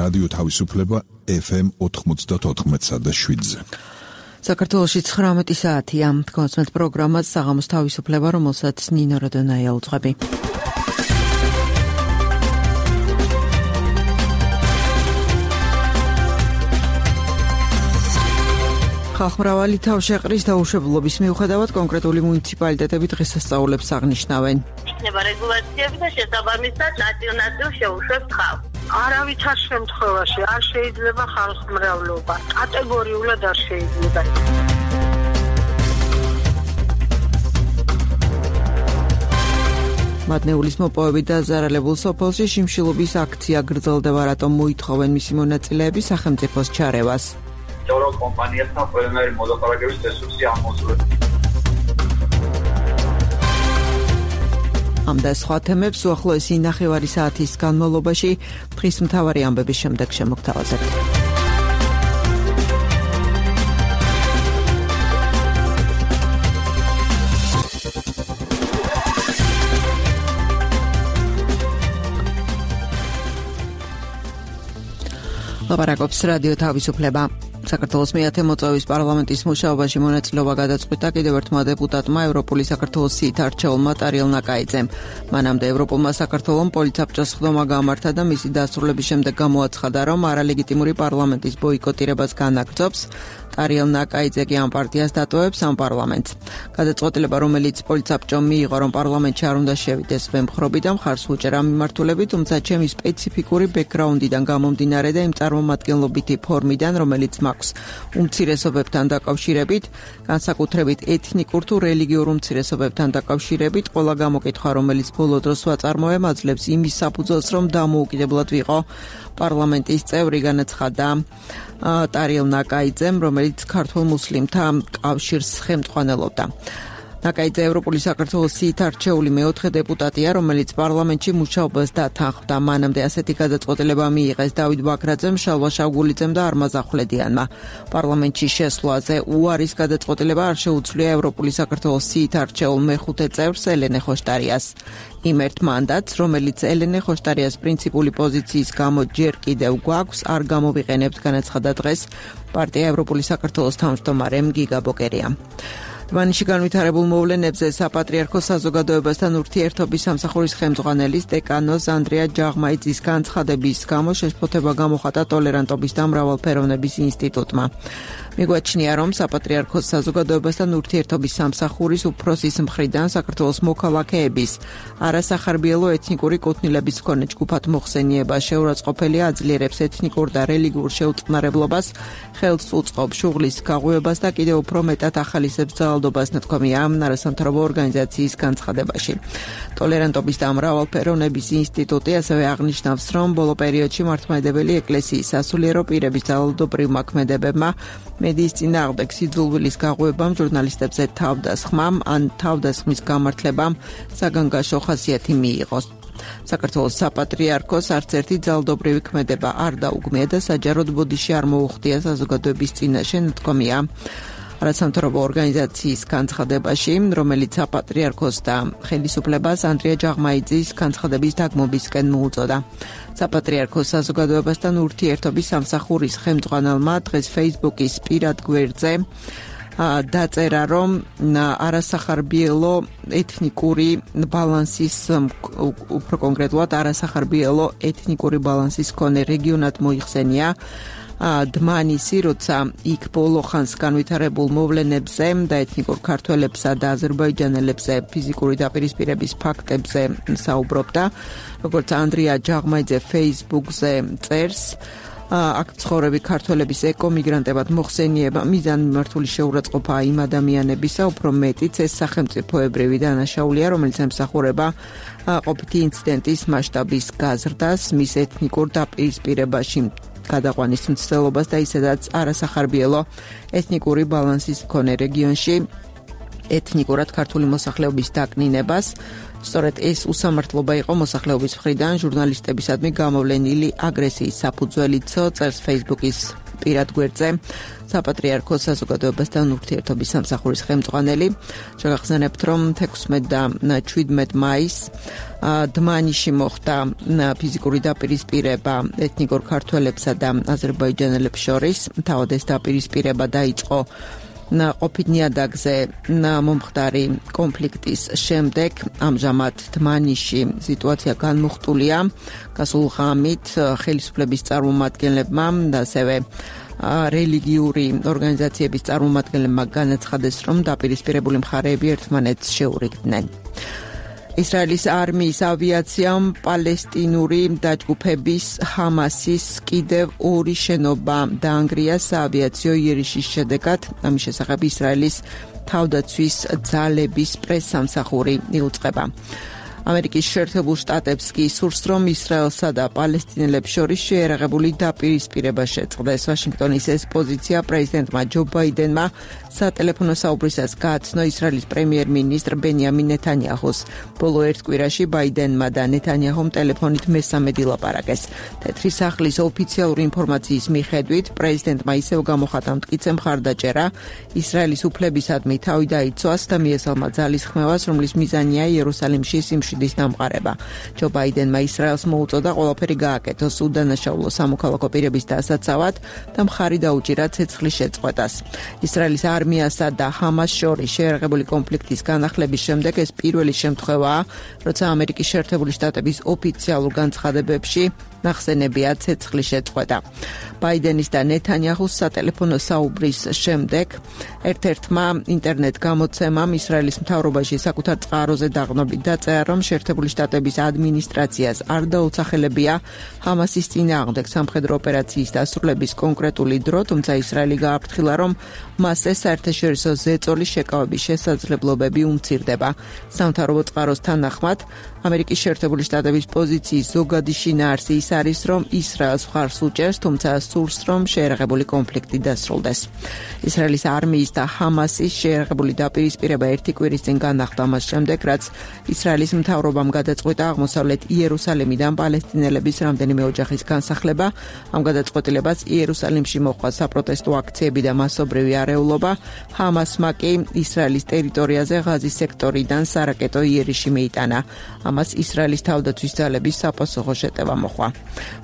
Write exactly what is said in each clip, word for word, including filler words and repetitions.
რადიო თავისუფლება ეფ ემ ოთხმოცდაოთხ და შვიდზე. საქართველოში ცხრამეტი საათია. გონსმეთ პროგრამას საღამოს თავისუფლება, რომელსაც ნინო როდონაია უძღვები. ხალხმრავალი თავშეყრის დაუშვებლობის მიუხედავად კონკრეტული მუნიციპალიტეტები დღესასწაულებს აღნიშნავენ. იქნება რეგულაციები და შესაბამისად ნაწილ-ნაწილ შეუშვებს ხალხს. არავითარ შემთხვევაში არ შეიძლება ხალხმრავლობა. კატეგორიულად არ შეიძლება. მადნეულის მოპოვებით დაზარალებულ სოფელში შიმშილობის აქცია გრძელდება, რატომ მოითხოვენ მისი მონაწილეები სახელმწიფოს ჩარევას. Euro კომპანიასთან ყველანაირი მოლაპარაკების რესურსი ამოწურებს. ამ და სხვა თემებს უახლოესი ნახევარი საათის განმავლობაში დღის მთავარი ამბების შემდეგ შემოგთავაზებთ. ლაპარაკობს რადიო თავისუფლება. საქართველოს მეათე მოწვევის პარლამენტის მუშაობაში მონაწილეობა გადაწყვიტა კიდევ ერთმა დეპუტატმა ევროპული საქართველოს სიით არჩეულმა ტარიელ ნაკაიძემ. მანამდე ევროპულმა საქართველომ პოლიცაბჭოს სხდომა გამართა და მისი დასრულების შემდეგ გამოაცხადა, რომ არალეგიტიმური პარლამენტის ბოიკოტირებას განაგრძობს. ტარიელ ნაკაიძე კი ამ პარტიას დატოვებს ამ პარლამენტს. გადაწყვეტილება, რომელიც პოლიცაბჭომ მიიღო, რომ პარლამენტში არ უნდა შევიდეს, ვემხრობი და მხარს უჭერა მიმართულები, თუმცა ჩემი სპეციფიკური ბექგრაუნდიდან გამომდინარე და იმ წარმომადგენლობითი ფორმიდან, რომელიც მაქვს უმცირესობებთან დაკავშირებით, განსაკუთრებით ეთნიკურ თუ რელიგიურ უმცირესობებთან დაკავშირებით, ყველა გამოკითხვა, რომელიც ბოლო დროს ვაწარმოებ, აძლევს იმის საფუძველს, რომ დამოუკიდებლად ვიყო პარლამენტის წევრი, განაცხადა ტარიელ ნაკაიძემ, რომელიც ქართულ მუსლიმთა კავშირს ხელმძღვანელობდა. ნაკაიძე ევროპული საქართველოს სიით არჩეული მეოთხე დეპუტატია, რომელიც პარლამენტში მუშაობას დათანხმდა. მანამდე ასეთი გადაწყვეტილება მიიღეს დავით ბაქრაძემ, შალვა შავგულიძემ და არმაზ ახვლედიანმა. პარლამენტში შესვლაზე უარის გადაწყვეტილება არ შეუძლია ევროპული საქართველოს სიით არჩეულ მეხუთე წევრს ელენე ხოშტარიას. იმ ერთ მანდატს, რომელიც ელენე ხოშტარიას პრინციპული პოზიციის გამო ჯერ კიდევ გვაქვს, არ გამოვიყენებთ, განაცხადა დღეს პარტია ევროპული საქართველოს თავმჯდომარემ გიგა ბოკერია. დმანისში განვითარებულ მოვლენებზე საპატრიარქოს საზოგადოებასთან ურთიერთობის სამსახურის ხელმძღვანელის დეკანოს ანდრია ჯაღმაიძის განცხადების გამო შეშფოთება გამოხატა ტოლერანტობის და მრავალფეროვნების ინსტიტუტმა. მიგვაჩნია, რომ საპატრიარქოს საზოგადოებასთან ურთიერთობის სამსახურის უფროსის მხრიდან საქართველოს მოქალაქეების არასახარბიელო ეთნიკური კუთვნილების მქონე ჯგუფად მოხსენიება შეურაცხყოფელი აძლიერებს ეთნიკურ და რელიგიურ შეუწყნარებლობას, ხელს უწყობს შუღლის გაღვივებას და კიდევ უფრო მეტად ახალისებს ძალადობას, ნათქვამია არასამთავრობო ორგანიზაციის განცხადებაში. ტოლერანტობის და მრავალფეროვნების ინსტიტუტი ასევე აღნიშნავს, რომ ბოლო პერიოდში მართლმადიდებელი ეკლესიის სასულიერო პირების ძალადობრივ მოქმედებებმა, მედიის წინააღმდეგ სიძულვილის გაღვივებამ, ჟურნალისტებზე თავდასხმამ ან თავდასხმის გამართლებამ საგანგაშო ხასიათი მიიღოს. საქართველოს საპატრიარქოს არც ერთი ძალადობრივი ქმედება არ დაუგმია და საჯაროდ ბოდიში არ მოუხდია საზოგადოების წინაშე, ნათქვამია არასამთავრობო ორგანიზაციის განცხადებაში, რომელიც საპატრიარქოს და ხელისუფლებას ანდრია ჯაღმაიძის განცხადების დაგმობისკენ მოუწოდა. საპატრიარქოს საზოგადოებასთან ურთიერთობის სამსახურის ხელმძღვანელმა დღეს Facebook-ის პირად გვერდზე დაწერა, რომ არასახარბიელო ეთნიკური ბალანსის, უფრო კონკრეტულად არასახარბიელო ეთნიკური ბალანსის მქონე რეგიონად მოიხსენია დმანისი, როცა იქ ბოლო ხანს განვითარებულ მოვლენებზე და ეთნიკურ ქართველებსა და აზერბაიჯანელებზე ფიზიკური დაპირისპირების ფაქტებზე საუბრობდა. როგორც ანდრია ჯაღმაიძე Facebook-ზე წერს, აქ ცხოვრები ქართველების ეკომიგრანტებად მოხსენიება მიზანმიმართული შეურაცხყოფაა იმ ადამიანებისა, უფრო მეტიც ეს სახელმწიფოებრივი დანაშაულია, რომელიც ემსახურება ყოფითი ინციდენტის მასშტაბის გაზრდას, მის ეთნიკურ დაპირისპირებაში გადაყვანის მცდელობას და ისედაც არასახარბიელო ეთნიკური ბალანსის მქონე რეგიონში ეთნიკურად ქართული მოსახლეობის დაკნინებას. სწორედ ეს უსამართლობა იყო მოსახლეობის მხრიდან ჟურნალისტებისადმი გამოვლენილი აგრესიის საფუძველიცო, წერს Facebook-ის პირად გვერდზე საპატრიარქოს საზოგადოებასთან ურთიერთობის სამსახურის ხელმძღვანელი. შეგახსენებთ, რომ თექვსმეტ და შვიდმეტ მაისს დმანიში მოხდა ფიზიკური დაპირისპირება ეთნიკურ ქართველებსა და აზერბაიჯანელებს შორის. თავად ეს დაპირისპირება დაიწყო ყოფით ნიადაგზე მომხდარი კონფლიქტის შემდეგ. ამჟამად დმანიში სიტუაცია განმუხტულია. გასულ ღამით ხელისუფლების წარმომადგენლებმა და ასევე რელიგიური ორგანიზაციების წარმომადგენლებმა განაცხადეს, რომ დაპირისპირებული მხარეები ერთმანეთს შეურიგდნენ. ისრაელის არმიის ავიაციამ პალესტინური დაჯგუფების ჰამასის კიდევ ორი შენობა დაანგრია საავიაციო იერიშის შედეგად. ამის შესახებ ისრაელის თავდაცვის ძალების პრესსამსახური იუწყება. ამერიკის შეერთებულ შტატებს კი სურს, რომ ისრაელსა და პალესტინელებს შორის შეერაღებული დაპირისპირება შეწყდეს. ვაშინგტონის ეს პოზიცია პრეზიდენტმა ჯო ბაიდენმა სატელეფონო საუბრისას გააცნო ისრაელის პრემიერ-მინისტრ ბენიამინ ნეთანიაჰუს. ბოლო ერთ კვირაში ბაიდენმა და ნეთანიაჰუმ ტელეფონით მესამედი ლაპარაკეს. თეთრი სახლის ოფიციალური ინფორმაციის მიხედვით, პრეზიდენტმა ისევ გამოხატა მტკიცე მხარდაჭერა ისრაელის უფლებისადმი თავი დაიცვას და მიესალმა ძალის ხმევას, რომლის მიზანია იერუსალიმში სიმშვიდის დამყარება. ჯო ბაიდენმა ისრაელს მოუწოდა ყველაფერი გააკეთოს უდანაშაულო სამოქალაქო პირების დასაცავად და მხარი დაუჭირა ცეცხლის შეწყვეტას. ისრაელის არმიასა და ჰამას შორის შეერაღებული კონფლიქტის განახლების შემდეგ ეს პირველი შემთხვევაა, როცა ამერიკის შეერთებული შტატების ოფიციალურ განცხადებებში ნახსენებია ცეცხლის შეწყვეტა. ბაიდენის და ნეთანიაჰუს სატელეფონო საუბრის შემდეგ ერთ-ერთმა ინტერნეტ გამოცემამ ისრაელის მთავრობაში საკუთარ წყაროზე დაყრდნობით დაწერა, რომ შეერთებული შტატების ადმინისტრაციას არ დაუცახელებია ჰამასის წინააღმდეგ სამხედრო ოპერაციის დასრულების კონკრეტული დრო, თუმცა ისრაელი გააფრთხილა, რომ მასზე საერთაშორისო ზეწოლის შეკავების შესაძლებლობები უმცირდება. სამთავრობო წყაროს თანახმად, ამერიკის შეერთებული შტატების პოზიციის ზოგადი შინაარსი ის არის, რომ ისრაელს მხარს უჭერს, თუმცა სურს, რომ შეერაღებული კონფლიქტი დასრულდეს. ისრაელის არმიის და ჰამასის შეერაღებული დაპირისპირება ერთი კვირის წინ განახლდა მას შემდეგ, რაც ისრაელის მთავრობამ გადაწყვიტა აღმოსავლეთ იერუსალიმიდან პალესტინელების რამდენიმე ოჯახის განსახლება. ამ გადაწყვეტილებას იერუსალიმში მოჰყვა საპროტესტო აქციები და მასობრივი არეულობა. ჰამასმა კი ისრაელის ტერიტორიაზე ღაზის სექტორიდან სარაკეტო იერიში მიიტანა. ამას ისრაელის თავდაცვის ძალების საპასუხო შეტევა მოჰყვა.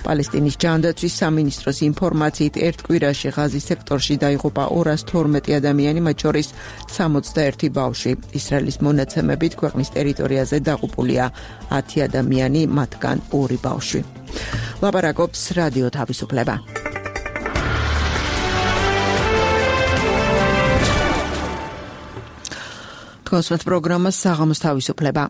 პალესტინის ჯანდაცვის სამინისტროს ინფორმაციით ერთ კვირაში ღაზის სექტორში დაიღუპა ორას თორმეტი ადამიანი, მათ შორის სამოცდაერთი ბავშვი. ისრაელის მონაცემებით ქვეყნის ტერიტორიაზე დაღუპულია ათი ადამიანი, მათგან ორი ბავშვი. ლაპარაკობს რადიო თავისუფლება. თქვენს პროგრამას საღამოს თავისუფლება.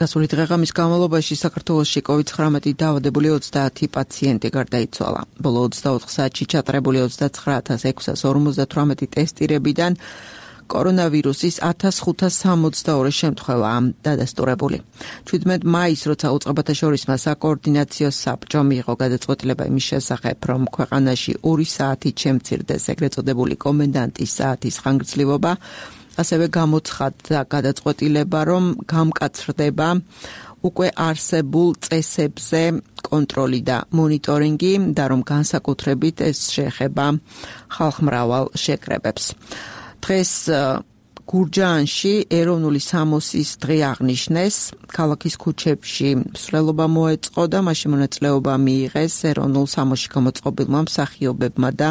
გასული დღეღამის განმავლობაში საქართველოში კოვიდ ცხრამეტი დაავადებული ოცდაათი პაციენტი გარდაიცვალა. ბოლო ოცდაოთხ საათში ჩატარებული ოცდაცხრა ათას ექვსას ორმოცდათვრამეტი ტესტირებიდან კორონავირუსის ათას ხუთას სამოცდაორი შემთხვევაა დადასტურებული. შვიდმეტ მაისს, როცა უწყებათა შორისმა საკოორდინაციო საბჭომ მიიღო გადაწყვეტილება იმის შესახებ, რომ ქვეყანაში ორი საათით შემცირდეს ეგრეთ წოდებული კომენდანტის საათის ხანგრძლივობა, ასევე გამოცხადდა გადაწყვეტილება, რომ გამკაცრდება უკვე არსებულ წესებზე კონტროლი და მონიტორინგი და რომ განსაკუთრებით ეს შეეხება ხალხმრავალ შეკრებებს. დღეს გურჯაანში ეროვნული სამოსის დღე აღნიშნეს. ქალაქის ქუჩებში მსვლელობა მოეწყო და მასში მონაწილეობა მიიღეს ეროვნულ სამოსში გამოწყობილმა მსახიობებმა და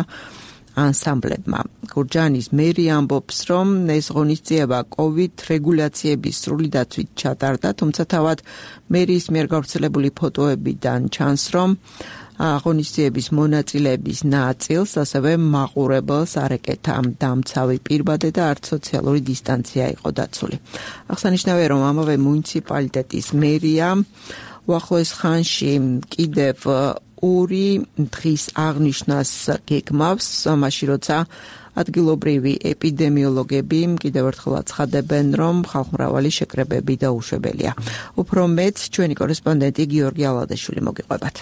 ანსამბლებმა. გურჯაანის მერი ამბობს, რომ ეს ღონისძიება კოვიდ რეგულაციების სრული დაცვით ჩატარდა, თუმცა თავად მერის მიერ გავრცელებული ფოტოებიდან ჩანს, რომ ღონისძიების მონაწილეების ნაწილს ასევე მაყურებელს არ ეკეთა დამცავი პირბადე და არც სოციალური დისტანცია იყო დაცული. აღსანიშნავია, რომ ამავე მუნიციპალიტეტის მერია უახლოეს ხანში კიდევ ორი დღის აღნიშვნას გეგმავს, მაშინ როცა ადგილობრივი ეპიდემიოლოგები კიდევ ერთხელ აცხადებენ, რომ ხალხმრავალი შეკრებები დაუშვებელია. უფრო მეტ ჩვენი კორესპონდენტი გიორგი ალადაშვილი მოგიყვებათ.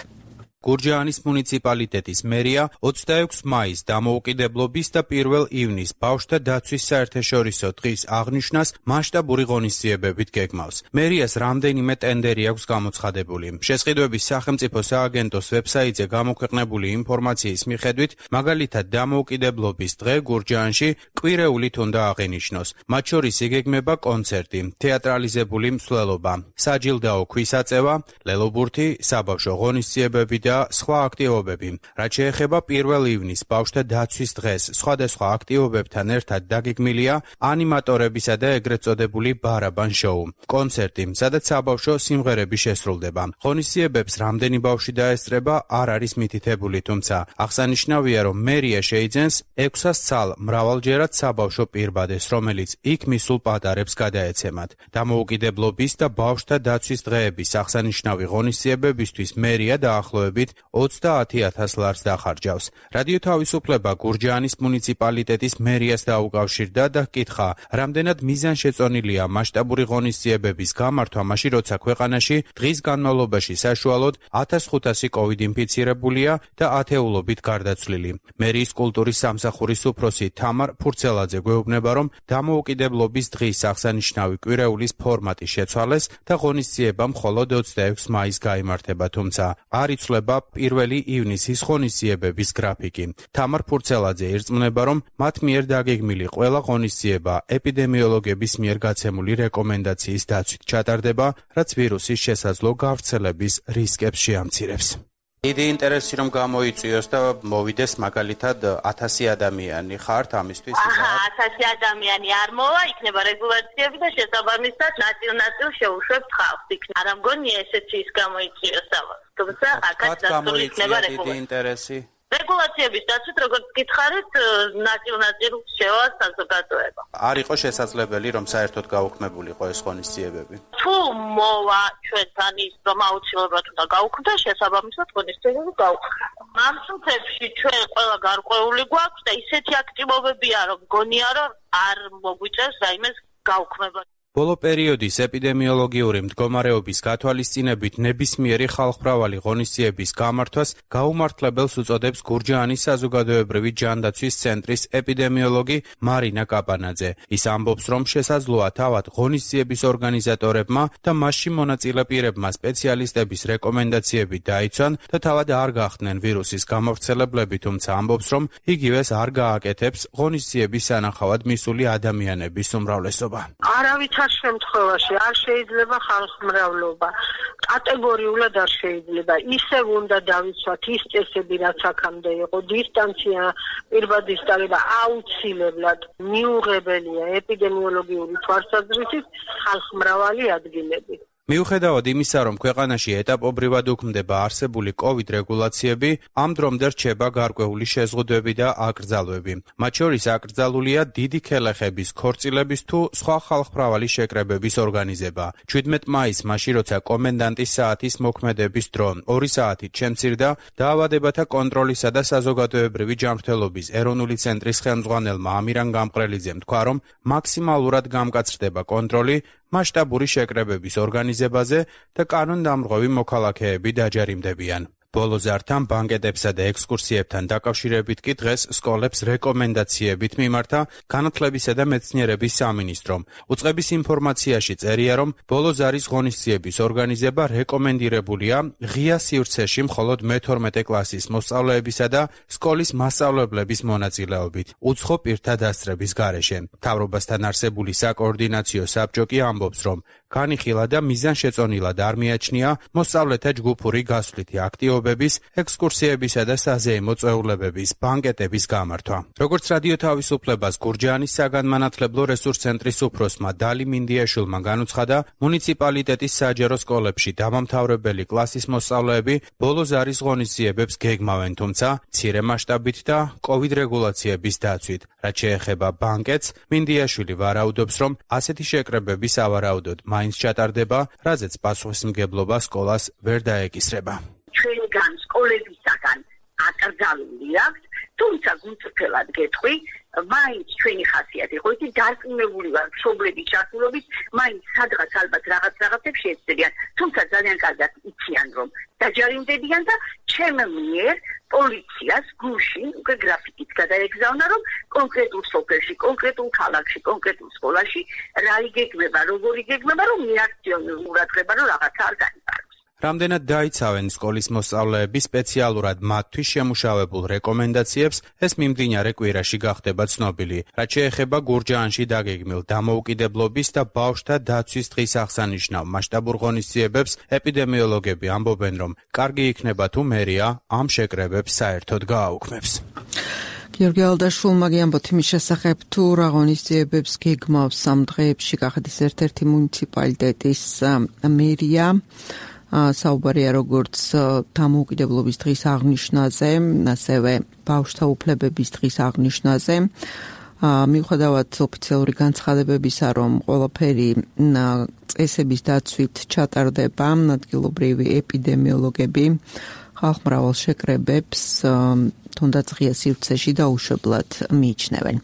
გურჯაანის მუნიციპალიტეტის მერია ოცდაექვსი მაისს დამოუკიდებლობის და პირველ ივნისს ბავშვთა დაცვის საერთაშორისო დღის აღნიშვნას მასშტაბური ღონისძიებებით გეგმავს. მერიას რამდენიმე ტენდერი აქვს გამოცხადებული. შესყიდვების სახელმწიფო სააგენტოს ვებსაიტზე გამოქვეყნებული ინფორმაციის მიხედვით, მაგალითად დამოუკიდებლობის დღე გურჯაანში კვირეულით უნდა აღენიშნოს. მათ შორის იგეგმება კონცერტი, თეატრალიზებული მსვლელობა, საჯილდაო ქვისაწევა, ლელობურთი, საბავშვო ღონისძიებები და სხვა აქტივობები. რაც შეეხება პირველ ივნისს ბავშვთა დაცვის დღეს, სხვადასხვა აქტივობებთან ერთად დაგეგმილია ანიმატორებისა და ეგრეთ წოდებული ბარაბან შოუ, კონცერტი, სადაც საბავშვო სიმღერები შესრულდება. ღონისძიებებს რამდენი ბავშვი დაესწრება, არ არის მითითებული, თუმცა აღსანიშნავია, რომ მერია შეიძენს ექვსას ცალ მრავალჯერად საბავშვო პირბადეს, რომელიც იქ მისულ პატარებს გადაეცემათ. დამოუკიდებლობის და ბავშვთა დაცვის დღეების აღსანიშნავი ღონისძიებებისთვის მერია დაახლოებით ოცდაათი ათას ლარს დახარჯავს. რადიო თავისუფლება გურჯაანის მუნიციპალიტეტის მერიას დაუკავშირდა და ჰკითხა, რამდენად მიზანშეწონილია მასშტაბური ღონისძიებების გამართვა, მაშინ როცა ქვეყანაში დღის განმავლობაში საშუალოდ ათას ხუთასი კოვიდ ინფიცირებულია და ათეულობით გარდაცვლილი. მერიის კულტურის სამსახურის უფროსი თამარ ფურცელაძე გვეუბნება, რომ დამოუკიდებლობის დღის აღსანიშნავი კვირეულის ფორმატი შეცვალეს და ღონისძიება მხოლოდ ოცდაექვსი მაისს გაიმართება, თუმცა არ იცვლება პირველი ივნისის ღონისძიებების გრაფიკი. თამარ ფურცელაძე ირწმუნება, რომ მათ მიერ დაგეგმილი ყველა ღონისძიება ეპიდემიოლოგების მიერ გაცემული რეკომენდაციის დაცვით ჩატარდება, რაც ვირუსის შესაძლო გავრცელების რისკებს შეამცირებს. დიდი ინტერესი რომ გამოიწვიოს და მოვიდეს მაგალითად ათასი ადამიანი ხართ ამისთვის ისა? აჰა, ათასი ადამიანი არ მოვა, იქნება რეგულაციები და შესაბამისად ნაწილ-ნაწილ შეუშვებთ ხალხს. იქნება არ მგონია ესეთი ის გამოიწვიოს ამას. თუმცა აქაც დასწრული იქნება რეგულაცია. რეგულაციების დაცვით, როგორც გითხარით, ნაწილ-ნაწილ შევა საზოგადოება. არ იყო შესაძლებელი, რომ საერთოდ გაუქმებულიყო ეს ღონისძიებები? თუ მოვა ჩვენთან ის, რომ აუცილებლად უნდა გაუქმდა, შესაბამისად ღონისძიებები გაუქმდა. ამ წუთებში ჩვენ ყველა გარკვეული გვაქვს და ისეთი აქტივობებია, რომ გონია, რომ არ მოგვიწევს რაიმეს გაუქმება. ბოლო პერიოდის ეპიდემიოლოგიური მდგომარეობის გათვალისწინებით ნებისმიერი ხალხმრავალი ღონისძიების გამართვას გაუმართლებელს უწოდებს გურჯაანის საზოგადოებრივი ჯანდაცვის ცენტრის ეპიდემიოლოგი მარინა კაპანაძე. ის ამბობს, რომ შესაძლოა თავად ღონისძიების ორგანიზატორებმა და მასში მონაწილე პირებმა სპეციალისტების რეკომენდაციები დაიცვან და თავად არ გახდნენ ვირუსის გამავრცელებლები, თუმცა ამბობს, რომ იგივეს არ გააკეთებს ღონისძიების სანახავად მისული ადამიანების უმრავლესობა. არავითარ შემთხვევაში არ შეიძლება ხალხმრავლობა. კატეგორიულად არ შეიძლება. ისევ უნდა დავიცვათ ის წესები, რაც აქამდე იყო. დისტანცია, პირბადის დარება აუცილებლად მიუღებელია ეპიდემიოლოგიური თვალსაზრისით ხალხმრავალი ადგილები. მიუხედავად იმისა, რომ ქვეყანაში ეტაპობრივად უქმდება არსებული კოვიდ რეგულაციები, ამ დრომდე რჩება გარკვეული შეზღუდვები და აკრძალვები. მათ შორის აკრძალულია დიდი ქელეხების, ქორწილების თუ სხვა ხალხმრავალი შეკრებების ორგანიზება. ჩვიდმეტ მაისს, მაშინ როცა კომენდანტის საათის მოქმედების დრო ორი საათით შემცირდა, დაავადებათა კონტროლისა და საზოგადოებრივი ჯანმრთელობის ეროვნული ცენტრის ხელმძღვანელმა ამირან გამყრელიძემ თქვა, რომ მაქსიმალურად გამკაცრდება კონტროლი მასშტაბური შეკრებების ორგანიზებაზე და კანონდამრღვევი მოქალაქეები დაჯარიმდებიან. ბოლო ზართან, ბანკეტებსა და ექსკურსიებთან დაკავშირებით კი დღეს სკოლებს რეკომენდაციებით მიმართა განათლებისა და მეცნიერების სამინისტრომ. უწყების ინფორმაციაში წერია, რომ ბოლო ზარის ღონისძიების ორგანიზება რეკომენდირებულია ღია სივრცეში მხოლოდ მეთორმეტე კლასის მოსწავლეებისა და სკოლის მასწავლებლების მონაწილეობით, უცხო პირთა დასწრების გარეშე. მთავრობასთან არსებული საკოორდინაციო საბჭო კი ამბობს, რომ განიხილა და მიზანშეწონილად არ მიაჩნია მოსწავლეთა ჯგუფური გასვლითი აქტივობების, ექსკურსიებისა და საზეიმო წვეულებების, ბანკეტების გამართვა. როგორც რადიო თავისუფლებას გურჯაანის საგანმანათლებლო რესურს ცენტრის უფროსმა დალი მინდიაშვილმა განუცხადა, მუნიციპალიტეტის საჯარო სკოლებში დამამთავრებელი კლასის მოსწავლეები ბოლო ზარის ღონისძიებებს გეგმავენ, თუმცა მცირე მასშტაბით და კოვიდ რეგულაციების დაცვით. რაც შეეხება ბანკეტს, მინდიაშვილი ვარაუდობს, რომ ასეთი შეკრებები სავარაუდოდ მაინც ჩატარდება, რაზეც პასუხისმგებლობა სკოლას ვერ დაეკისრება. ჩვენგან სკოლებისაგან აკრძალული აქვს, თუმცა გულწრფელად გეტყვი, მაინც ჩვენი ხასიათი იყო იცი დარწმუნებული ვარ მშობლების ჩართულობით მაინც სადღაც ალბათ რაღაც რაღაცებს შეეცდებიან თუმცა ძალიან კარგად იციან რომ დაჯარიმდებიან და ჩემ მიერ პოლიციას გულში უკვე გრაფიკით გადაეგზავნა რომ კონკრეტულ სოფელში, კონკრეტულ ქალაქში, კონკრეტულ სკოლაში რა იგეგმება, როგორ იგეგმება რომ მიაქციონოს ყურადღება რომ რაღაცა არ გაიფაროს. რამდენად დაიცავენ სკოლის მოსწავლეები სპეციალურად მათთვის შემუშავებულ რეკომენდაციებს, ეს მიმდინარე კვირაში გახდება ცნობილი. რაც შეეხება გურჯაანში დაგეგმილ დამოუკიდებლობის და ბავშვთა დაცვის დღის აღსანიშნავ მასშტაბურ ღონისძიებებს, ეპიდემიოლოგები ამბობენ, რომ კარგი იქნება თუ მერია ამ შეკრებებს საერთოდ გააუქმებს. გიორგი ალდაშვილმა გიამბოთ იმის შესახებ, თუ რა ღონისძიებებს გეგმავს ამ დღეებში კახეთის ერთ-ერთი მუნიციპალიტეტის მერია. საუბარია როგორც დამოუკიდებლობის დღის აღნიშვნაზე, ასევე ბავშვთა უფლებების დღის აღნიშვნაზე. მიუხედავად ოფიციალური განცხადებებისა, რომ ყველაფერი წესების დაცვით ჩატარდება, ადგილობრივი ეპიდემიოლოგები ხალხმრავალ შეკრებებს თუნდაც ღია სივრცეში დაუშვებლად მიიჩნევენ.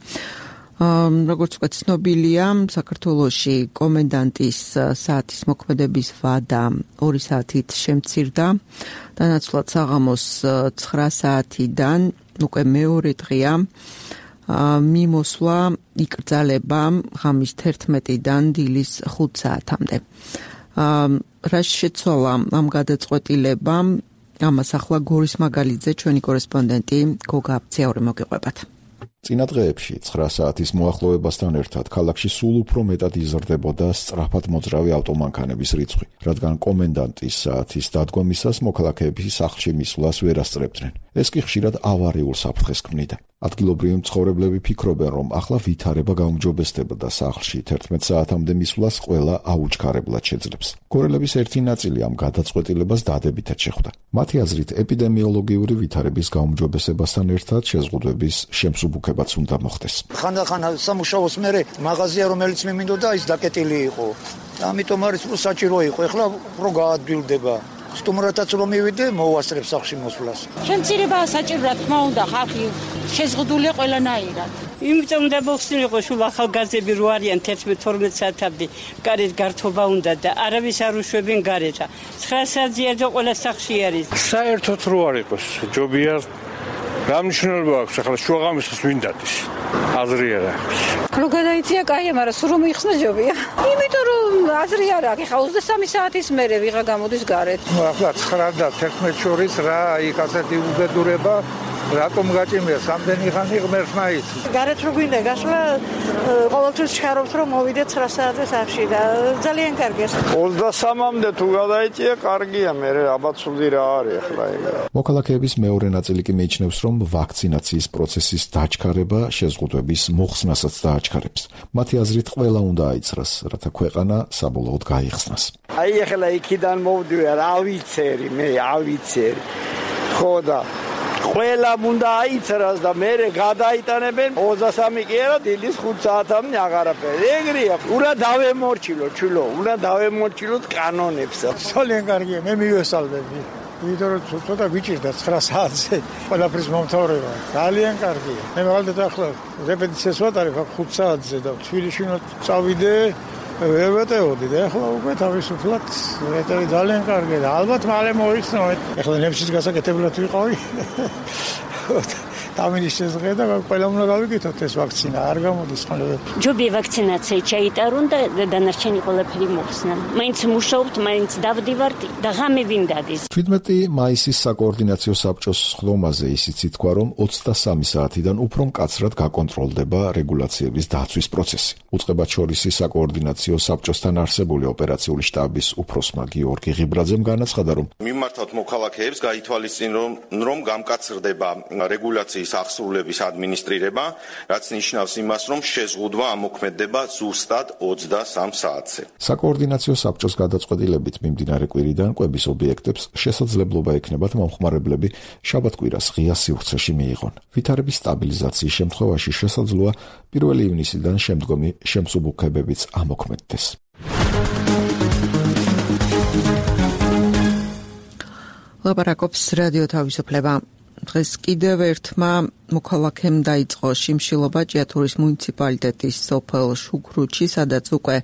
როგორც უკვე ცნობილია, საქართველოში კომენდანტის საათის მოქმედების ვადა ორი საათით შემცირდა. დანაცვლად საღამოს ცხრა საათიდან უკვე მეორე დღეა მიმოსვლა იკრძალება ღამის თერთმეტიდან დილის ხუთ საათამდე. რა შეცვალა ამ გადაწყვეტილებამ? ამას ახლა გორის მაგალიძე, ჩვენი კორესპონდენტი გოგა აბციური მოგიყვებათ. წინა დღეებში ცხრა საათის მოახლოებასთან ერთად ქალაქში სულ უფრო მეტად იზრდებოდა სწრაფად მოძრავი ავტომანქანების რიცხვი, რადგან კომენდანტის საათის დადგომისას მოქალაქეები სახლში მისვლას ვერ ასწრებდნენ. ეს კი ხშირად ავარიულ საფრთხეს ქმნიდა. ადგილობრივი მცხოვრებლები ფიქრობენ, რომ ახლა ვითარება გაუმჯობესდებოდა სახლში თერთმეტ საათამდე მისვლას ყველა აუჩქარებლად შეძლებს. გორელების ერთი ნაწილი ამ გადაწყვეტილებას დადებითად შეხვდა. მათი აზრით, ეპიდემიოლოგიური ვითარების გაუმჯობესებასთან ერთად შეზღუდვების შემსუბუქებაც უნდა მოხდეს. ხანდახან სამუშაოს მერე მაღაზია, რომელიც მიმინდოდა, ის დაკეტილი იყო. ამიტომ არის რომ საჭირო იყო. ეხლა უფრო გაადვილდება. სტუმრათაც რომ მივიდე, მოვასწრებ სახლში მოსვლას. შემცირებაა საჭირო, რა თქმა უნდა, ხალხი შეზღუდულია ყველანაირად. იმიტომ უნდა მოხსნილიყო სულ ახალგაზრდები რო არიან თერთმეტ თორმეტ საათამდე გარეთ გართობა უნდა და არავის არ უშვებენ გარეთ. ცხრა საათზე და ყველა სახლში არის. საერთოდ რო არ იყოს, ჯობია რა მნიშვნელობა აქვს ახლა შუაღამისას ვინ დადის? აზრი არ აქვს. რო გადაიცია კაია, მაგრამ სულ რომ იხსნა ჯობია. იმიტომ რომ აზრი არ აქვს. ხა ოცდასამი საათის მერე ვიღა გამოდის გარეთ. ნუ ახლა ცხრა და თერთმეტ შორის რა იქ ასეთი უბედურება რატომ გაჭიმია სამდენი ხანი ღმერთს მაიც. გარეთ რო გვინდა გასვლა ყოველთვის შეხარობთ რომ მოვიდეთ ცხრა საათზე სახლში და ძალიან კარგია. ოცდასამამდე თუ გადაიწია კარგია, მე აბაცული რა არის ახლა ეგ. მოქალაქეების მეორე ნაწილი კი მიიჩნევს, რომ ვაქცინაციის პროცესის დაჩქარება შეზღუდვების მოხსნასაც დააჩქარებს. მათი აზრით ყველა უნდა აიცრას, რათა ქვეყანა საბოლოოდ გაიხსნას. აი ახლა იქიდან მოვდივარ, ავიცერი, მე ავიცერი. ხო და ყველა უნდა აიცრას და მე გადაიტანებენ ოცდასამი კი არა დილის ხუთ საათამდე აღარაფერი. ეგრეა. უნდა დავემორჩილო, ჩულო, უნდა დავემორჩილოთ კანონებს. ძალიან კარგია, მე მივესალმები. იმიტომ რომ ცოტა გვიჭირდა ცხრა საათზე ყველაფრის მომთავრება. ძალიან კარგია. მე მაგალითად ახლა რეპეტიციას ვატარებ ხუთ საათზე და თბილისში უნდა წავიდე ვერ ვეტეოდი და ახლა უკვე თავისუფლად ვეტევი ძალიან კარგია და ალბათ მალე მოიცნო. ახლა ნებშიც გასაკეთებლად ვიყავი. დამინიშეს დღე და ყველა უნდა გავიკეთოთ ეს ვაქცინა, არ გამოდის ხოლმე. ჯობია ვაქცინაცია ჩაიტარონ და დანარჩენი ყველაფერი მოხსნან. მაინც მუშაობთ, მაინც დავდივართ და ღამე ვინ დადის. თერთმეტი მაისის საკოორდინაციო საბჭოს ხლომაზე ისიც ითქვა, რომ ოცდასამი საათიდან უფრო მკაცრად გაკონტროლდება რეგულაციების დაცვის პროცესი. უწყებად შორისი საკოორდინაციო საბჭოსთან არსებული ოპერაციული შტაბის უფროსმა გიორგი ღიბრაძემ განაცხადა, რომ მიმართავთ მოქალაქეებს გაითვალისწინონ, რომ გამკაცრდება რეგულაციის აღსრულების ადმინისტრირება, რაც ნიშნავს იმას, რომ შეზღუდვა ამოქმედდება ზუსტად ოცდასამ საათზე. საკოორდინაციო საბჭოს გადაწყვეტილებით მიმდინარე კვირიდან კვების ობიექტებს შესაძლებლობა ექნებათ მომხმარებლები შაბათ-კვირას ღია სივრცეში მიიღონ. ვითარების სტაბილიზაციის შემთხვევაში შესაძლოა პირველი ივნისიდან შემდგომი შემსუბუქებებიც ამოქმედდეს. ლაპარაკობს რადიო თავისუფლება. დღეს კიდევ ერთმა მოქალაქემ დაიწყო შიმშილობა ჭიათურის მუნიციპალიტეტის სოფელ შუქრუთში, სადაც უკვე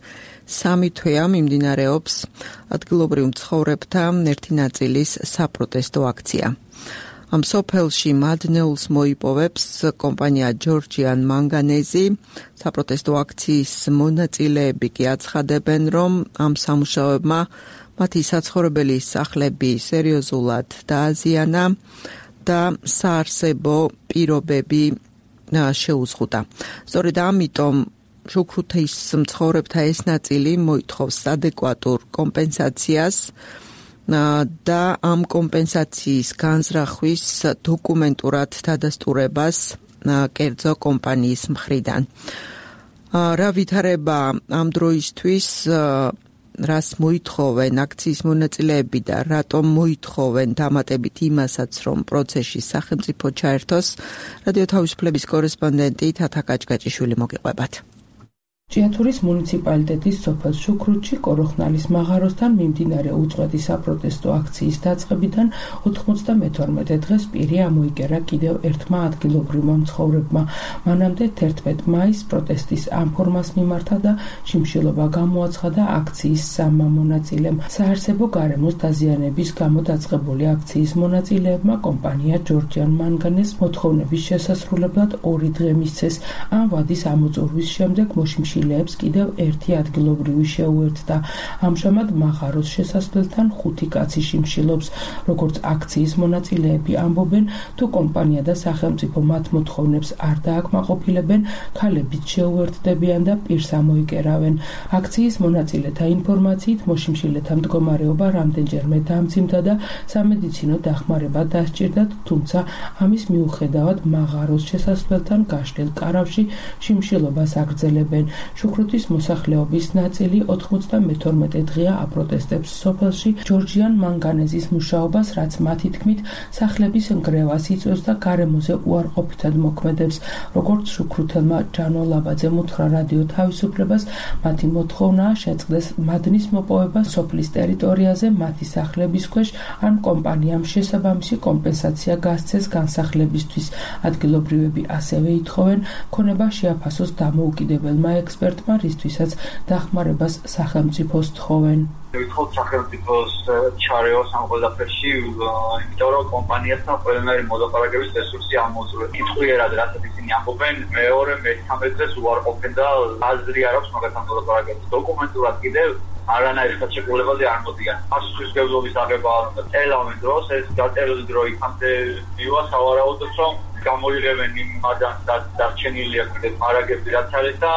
სამი თვეა მიმდინარეობს ადგილობრივ მცხოვრებთა ერთი ნაწილის საპროტესტო აქცია. ამ სოფელში მადნეულს მოიპოვებს კომპანია ჯორჯიან მანგანეზი. საპროტესტო აქციის მონაწილეები კი აცხადებენ, რომ ამ სამუშაოებმა მათი საცხოვრებელი სახლები სერიოზულად დააზიანა და საარსებო პირობები შეუზღუდა. სწორედ ამიტომ შუქრუთის მცხოვრებთა ეს ნაწილი მოითხოვს ადეკვატურ კომპენსაციას და ამ კომპენსაციის განზრახვის დოკუმენტურად დადასტურებას კერძო კომპანიის მხრიდან. რა ვითარება ამ დროისთვის, რას მოითხოვენ აქციის მონაწილეები და რატომ მოითხოვენ დამატებით იმასაც, რომ პროცესში სახელმწიფო ჩაერთოს, რადიო თავისუფლების კორესპონდენტი თათა კაჭკაჭიშვილი მოგიყვებათ. ჭიათურის მუნიციპალიტეტის სოფელ შუქრუთში კოროხნალის მაღაროსთან მიმდინარე უწყვეტი საპროტესტო აქციის დაწყებიდან ოთხმოცდამეთორმეტე დღეს პირი ამოიკერა კიდევ ერთმა ადგილობრივმა მცხოვრებმა. მანამდე თერთმეტ მაისს პროტესტის ამ ფორმას მიმართა და შიმშილობა გამოაცხადა აქციის სამმა მონაწილემ. საარსებო გარემოს დაზიანების გამო დაწყებული აქციის მონაწილეებმა კომპანია ჯორჯიან მანგანეს მოთხოვნების შესასრულებლად ორი დღე მისცეს. ამ ვადის ამოწურვის შემდეგ მოშიმშილება კიდევ ერთი ადგილობრივი შეუერთდა. ამჟამად მაღაროს შესასვლელთან ხუთი კაცი შიმშილობს. როგორც აქციის მონაწილეები ამბობენ, თუ კომპანია და სახელმწიფო მათ მოთხოვნებს არ დააკმაყოფილებენ, ქალებიც შეუერთდებიან და პირს ამოიკერავენ. აქციის მონაწილეთა ინფორმაციით მოშიმშილეთა მდგომარეობა რამდენჯერმე დამძიმდა და სამედიცინო დახმარება დასჭირდათ, თუმცა ამის მიუხედავად მაღაროს შესასვლელთან გაშლილ კარავში შიმშილობას აგრძელებენ. შუქრუთის მოსახლეობის ნაწილი ოთხმოცდამეთორმეტე დღეა აპროტესტებს სოფელში ჯორჯიან მანგანეზის მუშაობას, რაც მათი თქმით სახლების ნგრევას იწვევს და გარემოზე უარყოფითად მოქმედებს. როგორც შუქრუთელმა ჯანო ლაბაძემ უთხრა რადიო თავისუფლებას, მათი მოთხოვნაა შეწყდეს მადნის მოპოვება სოფლის ტერიტორიაზე მათი სახლების ქვეშ, ან კომპანიამ შესაბამისი კომპენსაცია გასცეს განსახლებისთვის. ადგილობრივები ასევე ითხოვენ ქონება შეაფასოს დამოუკიდებელმა ექსპერტმა, რისთვისაც დახმარებას სახელმწიფოს თხოვენ. ვითხოვთ სახელმწიფოს ჩარეოს ამ ყველაფერში, იმიტომ რომ კომპანიასთან ყველანაირი მოლაპარაკების რესურსი ამოწურეს. კითხვიერად რასაც ისინი ამბობენ, მეორე მესამე დღეს უარყოფენ და აზრი არ აქვს მაგათთან მოლაპარაკების. დოკუმენტურად კიდევ არანაირი ხელშეკრულებაზე არ მოდიან. პასუხისმგებლობის აღება ელავენ დროს, ეს გაწერილი დრო იქამდე მივა სავარაუდოდ, რომ გამოიღებენ იმ ადამიანს, რაც დარჩენილია კიდევ მარაგები რაც არის და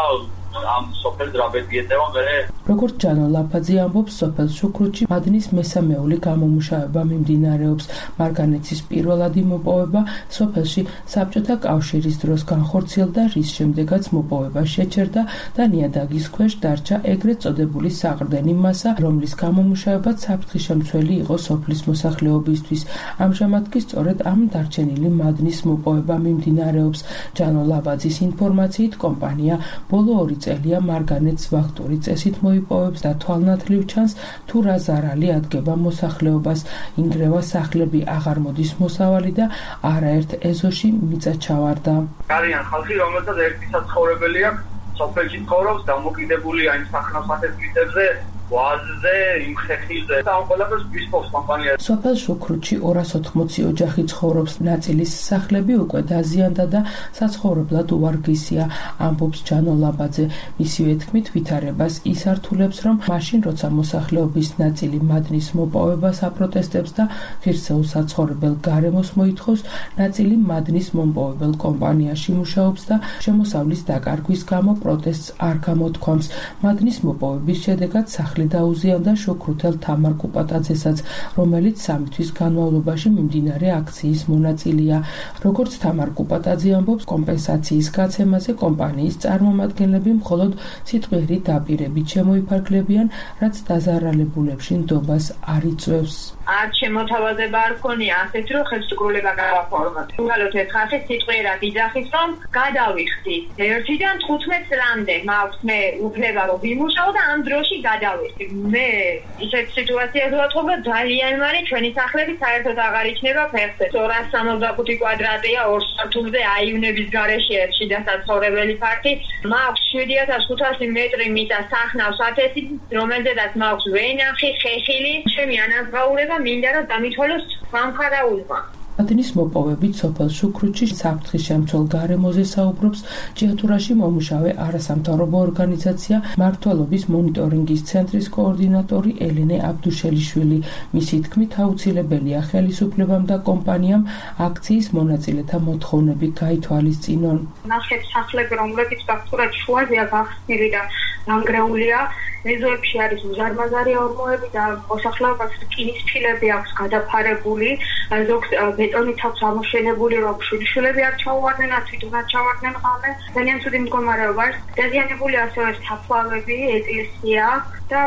ამ სოფელს რაბედი ეწევა მერე. როგორც ჯანო ლაფაძე ამბობს, სოფელ შუქრუთში მადნის მესამეული გამომუშავება მიმდინარეობს. მარგანეცის პირველადი მოპოვება სოფელში საბჭოთა კავშირის დროს განხორციელდა, რის შემდეგაც მოპოვება შეჩერდა და ნიადაგის ქვეშ დარჩა ეგრეთ წოდებული საყრდენი მასა, რომლის გამომუშავებაც საფრთხეშემცველი იყო სოფლის მოსახლეობისთვის. ამჟამად კი სწორედ ამ დარჩენილი მადნის მოპოვება მიმდინარეობს. ჯანო ლაბაძის ინფორმაციით კომპანია ბოლო ორი წელია მარგანეცს ვახტური წესით მოიპოვებს და თვალნათლივ ჩანს, თუ რა ზარალი ადგება მოსახლეობას. ინგრევა სახლები აღარ მოდის მოსავალი და არაერთ ეზოში მიწა ჩავარდა. არიან ხალხი, რომელსაც ერთი საცხოვრებელი აქვს, სოფელში ცხოვრობს, დამოკიდებულია იმ სახელმწიფოს მიწებზე, ვაზზე, იმ ხეხილზე და ამ ყველაფერს ვისპოვს კომპანია. სოფელ შუქრუთში ორას ოთხმოცი ოჯახი ცხოვრობს, ნაწილის სახლები უკვე დაზიანდა და საცხოვრებლად უარგისია, ამბობს ჯანო ლაბაძე. მისივე თქმით, ვითარებას ის ართულებს, რომ მაშინ, როცა მოსახლეობის ნაწილი მადნის მოპოვებას აპროტესტებს და ღირსეულ საცხოვრებელ გარემოს მოითხოვს, ნაწილი მადნის მომპოვებელ კომპანიაში მუშაობს და შემოსავლის დაკარგვის გამო პროტესტს არ გამოთქვამს. მადნის მოპოვების შედეგად სახლი დაუზიანდა შუქრუთელ თამარ კუპატაძესაც, რომელიც სამი თვის განმავლობაში მიმდინარე აქციის მონაწილეა. როგორც თამარ კუპატაძე ამბობს, კომპენსაციის გაცემაზე კომპანიის წარმომადგენლები მხოლოდ სიტყვიერი დაპირებით შემოიფარგლებიან, რაც დაზარალებულებში ნდობას არ იწვევს. არ შემოთავაზება არ ქონია ასეთ რომ ხელშეკრულება გავაფორმოთ. უბრალოდ ეს ხალხი სიტყვიერად იძახის, რომ გადავიხდი ერთიდან თხუთმეტ წლამდე მაქვს მე უფლება რომ ვიმუშაო და ამ დროში გადავ აგვისტო. მე ისეთ სიტუაციას ვატყობ, ძალიან მარი ჩვენი სახლები საერთოდ აღარ იჩნება ფეხზე. ორას სამოცდახუთი კვადრატია, ორ სართულზე აივნების გარეშე ერთში დასაცხოვრებელი ფართი. მაქვს შვიდი ათას ხუთასი მეტრი მიწა სახნავს ათასი, რომელზედაც მაქვს ვენახი, ხეხილი. ჩემი ანაზღაურება მინდა რომ დამითვალოს სამხარაულმა. ათენის მოპოვებით სოფელ შუქრუთში საფრთხის შემცველ გარემოზე საუბრობს ჭიათურაში მომუშავე არასამთავრობო ორგანიზაცია მმართველობის მონიტორინგის ცენტრის კოორდინატორი ელენე აბდუშელიშვილი. მისი თქმით, აუცილებელია ხელისუფლებამ და კომპანიამ აქციის მონაწილეთა მოთხოვნები გაითვალისწინონ. ნახეთ სახლები, რომლებიც ფაქტურად შუაზეა გახსნილი და ნანგრეულია, მეზოებში არის უზარმაზარი ორმოები და მოსახლეობას რკინის ფილები აქვს გადაფარებული, ზოგს ბეტონით აქვს ამოშენებული, რომ შვილიშვილები არ ჩაუვარდნენ, თვითონ არ ჩავარდნენ ღამე. ძალიან ცუდი მდგომარეობა არის. დაზიანებული ასევე საფლავები, ეკლესია და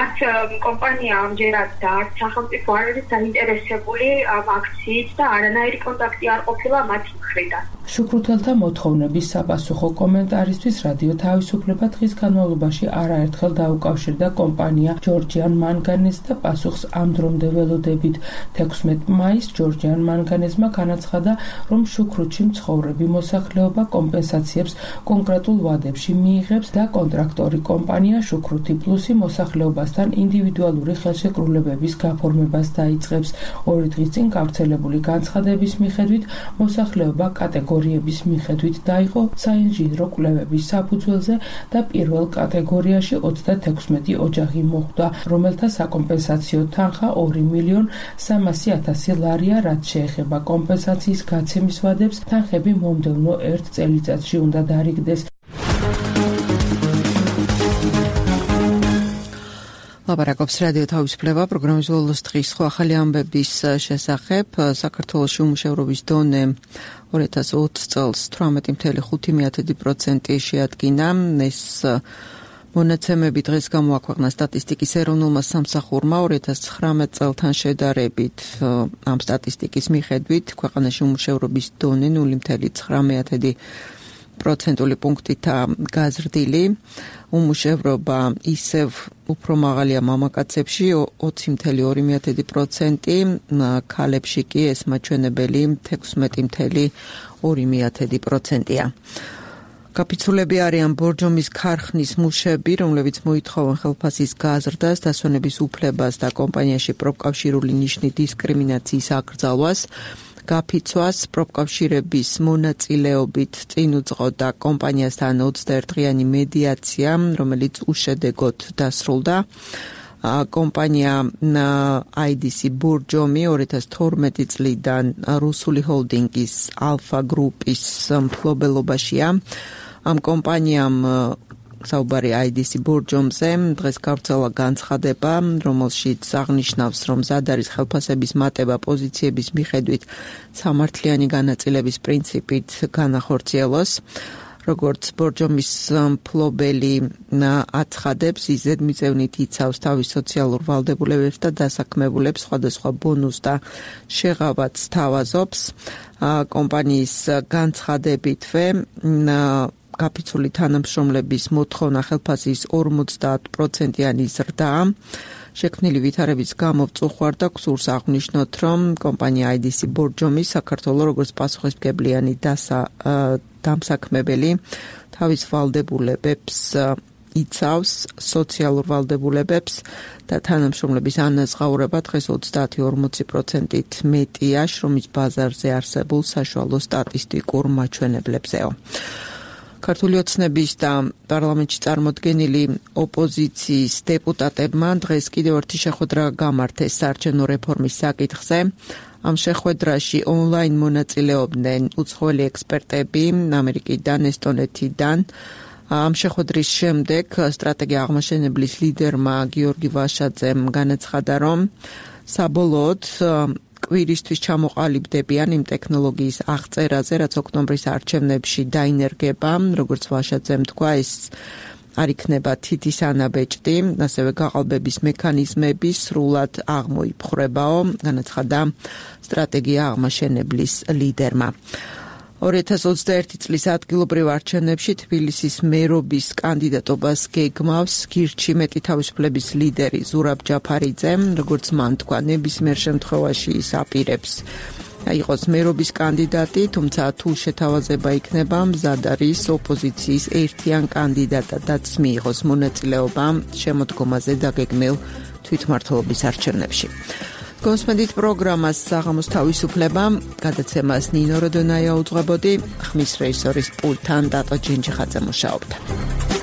არც კომპანია ამჯერად და არც სახელმწიფო არ არის დაინტერესებული ამ აქციით და არანაირი კონტაქტი არ ყოფილა მათი მხრიდან. შუქრუთელთა მოთხოვნების sapasukho კომენტარისთვის რადიო თავისუფლება დღის განმავლობაში არაერთხელ დაუკავშირდა კომპანია ჯორჯიან მანგანეზს და პასუხს ამ დრომდე ველოდებით. თექვსმეტ მაისს ჯორჯიან მანგანეზმა განაცხადა, რომ შუქრუთში მცხოვრები მოსახლეობა კომპენსაციებს კონკრეტულ ვადებში მიიღებს და კონტრაქტორი კომპანია შუქრუთი პლუსი მოსახლეობასთან ინდივიდუალური ხელშეკრულებების გაფორმებას დაიწყებს. ორი დღის წინ გავრცელებული განცხადების მიხედვით მოსახლეობა კატეგორიების მიხედვით დაიყო საინჟინრო კვლევების საფუძველზე და პირველ კატეგორიაში ოცდათექვსმეტი ოჯახი მოხვდა, რომელთა საკომპენსაციო თანხა ორი მილიონი სამასი ათასი ლარია, რაც შეეხება კომპენსაციის გაცემის ვადებს, თანხები მომდევნო ერთ წელიწადში უნდა დარიგდეს. ლაპარაკობს რადიო თავისუფლება პროგრამის ბოლოს დღის სხვა ახალი ამბების შესახებ. საქართველოში უმუშევრობის დონე ორი ათას ოცი წელს თვრამეტი ფاصლე ხუთი პროცენტი შეადგინა. ეს მონაცემები დღეს გამოაქვეყნა სტატისტიკის ეროვნულმა სამსახურმა. ორი ათას ცხრამეტ წელთან შედარებით ამ სტატისტიკის მიხედვით ქვეყანაში უმუშევრობის დონე ნული ფاصლე ცხრამეტი პროცენტული პუნქტითაა გაზრდილი. უმუშევრობა ისევ უფრო მაღალია მამაკაცებში ოცი ფاصლე ორი პროცენტი, ქალებში კი ეს მაჩვენებელი თექვსმეტი ფاصლე ორი პროცენტია. გაფიცულები არიან ბორჯომის ქარხნის მუშები, რომლებიც მოითხოვენ ხელფასის გაზრდას, დასვენების უფლებას და კომპანიაში პროფკავშირული ნიშნით დისკრიმინაციის აკრძალვას. გაფიცვას პროფკავშირების მონაწილეობით წინ უძღოდა კომპანიასთან ოცდაერთდღიანი მედიაცია, რომელიც უშედეგოდ დასრულდა. კომპანია აი დი სი ბორჯომი ორი ათას თორმეტი წლიდან რუსული ჰოლდინგის ალფა გრუპის მფლობელობაშია. ამ კომპანიამ საუბარი აი დი სი ბორჯომზე დღეს გავრცელა განცხადება, რომელშიც აღნიშნავს, რომ მზად არის ხელფასების მატება პოზიციების მიხედვით სამართლიანი განაწილების პრინციპით განახორციელოს. როგორც ბორჯომის მფლობელი აცხადებს, ის ზედმიწევნით იცავს თავის სოციალურ ვალდებულებებს და დასაქმებულებს, სხვადასხვა ბონუს და შეღავათს თავაზობს. კომპანიის განცხადებითვე გაფიცული თანამშრომლების მოთხოვნა ხელფასის ორმოცდაათ პროცენტიანი ზრდაა. შექმნილი ვითარების გამო ვწუხარდა გსურს აღნიშნოთ, რომ კომპანია აი დი სი ბორჯომი საქართველოს როგორც პასუხისმგებლიანი დასა დამსაქმებელი თავის ვალდებულებებს იცავს, სოციალურ ვალდებულებებს და თანამშრომლების ანაზღაურება დღეს ოცდაათი ორმოცი პროცენტით მეტია შრომის ბაზარზე არსებულ საშუალო სტატისტიკურ მაჩვენებლებზეო. ქართული ოცნების და პარლამენტში წარმოდგენილი ოპოზიციის დეპუტატებმა დღეს კიდევ ერთი შეხვედრა გამართეს საარჩევნო რეფორმის საკითხზე. ამ შეხვედრაში ონლაინ მონაწილეობდნენ უცხოელი ექსპერტები ამერიკიდან, ესტონეთიდან. ამ შეხვედრის შემდეგ სტრატეგია აღმაშენებლის ლიდერმა გიორგი ვაშაძემ განაცხადა, რომ საბოლოოდ კვირისთვის ჩამოყალიბდებიან იმ ტექნოლოგიის აღწერაზე, რაც ოქტომბრის არჩევნებში დაინერგება, როგორც ვაშაძემ თქვა, ეს არ იქნება თითის ანაბეჭდი, ასევე გაყალბების მექანიზმები სრულად აღმოიფხრებაო, განაცხადა სტრატეგია აღმაშენებლის ლიდერმა. ორი ათას ოცდაერთი წლის ადგილობრივ არჩევნებში თბილისის მერობის კანდიდატობას გეგმავს გირჩი მეტი თავისუფლების ლიდერი ზურაბ ჯაფარიძე, როგორც მან თქვა, ნებისმიერ შემთხვევაში ის აპირებს იყოს მერობის კანდიდატი, თუმცა თუ შეთავაზება იქნება, მზად არის ოპოზიციის ერთიან კანდიდატადაც მიიღოს მონაწილეობა შემოდგომაზე დაგეგმილ თვითმმართველობის არჩევნებში. Კონსმედით პროგრამას საღამოს თავისუფლება, გადაცემას ნინო როდონაია უძღვებოდი, ხმის რეჟისორის პულტთან დატო ჯინჯიხაძე მუშაობდა.